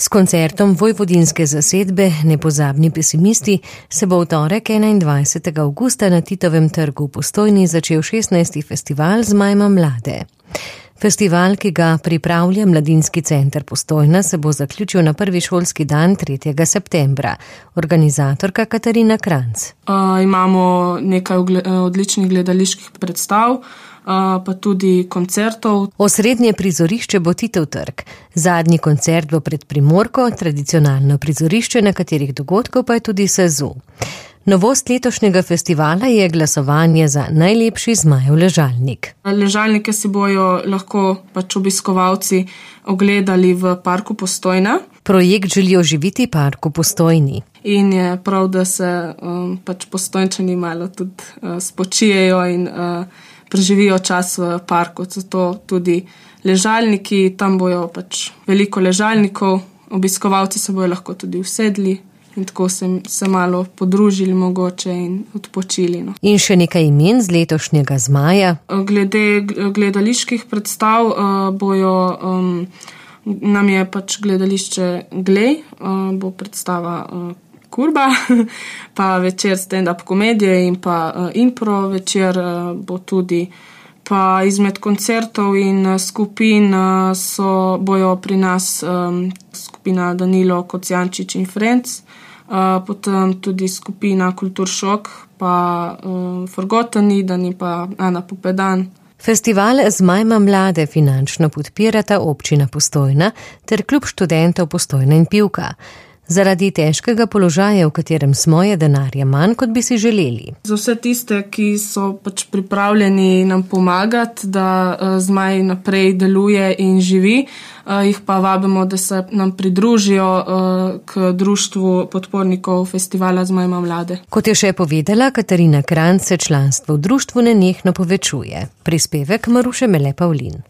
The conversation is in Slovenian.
S koncertom vojvodinske zasedbe Nepozabni pesimisti se bo v torek 21. avgusta na Titovem trgu v Postojni začel 16. festival Zmajma mlade. Festival, ki ga pripravlja Mladinski center Postojna, se bo zaključil na prvi šolski dan 3. septembra. Organizatorka Katarina Kranc. Imamo nekaj odličnih gledaliških predstav, pa tudi koncertov. Osrednje prizorišče bo Titov trg. Zadnji koncert bo pred Primorko, tradicionalno prizorišče nekaterih dogodkov pa je tudi SAZU. Novost letošnjega festivala je glasovanje za najlepši zmajev ležalnik. Ležalnike si bojo lahko obiskovalci ogledali v parku Postojna. Projekt želi oživiti park v Postojni. In je prav, da se Postojnčani malo tudi spočijejo in preživijo čas v parku. Zato tudi ležalniki, tam bojo veliko ležalnikov, obiskovalci se bojo lahko tudi usedli in tako se malo podružili mogoče in odpočili. In še nekaj imen z letošnjega zmaja. Glede gledaliških predstav nam je gledališče Glej, bo predstava Kurba, pa večer stand-up komedije in pa impro večer bo tudi. Pa izmed koncertov in skupin bojo pri nas skupina Danilo Kocijančič in Friends, potem tudi skupina Kulturšok, pa Forgotten Eden in pa Ana Popedan. Festival Zmajma mlade finančno podpirata občina Postojna ter klub študentov Postojna in Pivka. Zaradi težkega položaja, v katerem smo, je denarja manj, kot bi si želeli. Za vse tiste, ki so pripravljeni nam pomagati, da Zmaj naprej deluje in živi, jih pa vabimo, da se nam pridružijo k društvu podpornikov festivala Zmajma mlade. Kot je še povedala Katarina Kranc, se članstvo v društvu nenehno povečuje. Prispevek Maruše Mele Pavlin.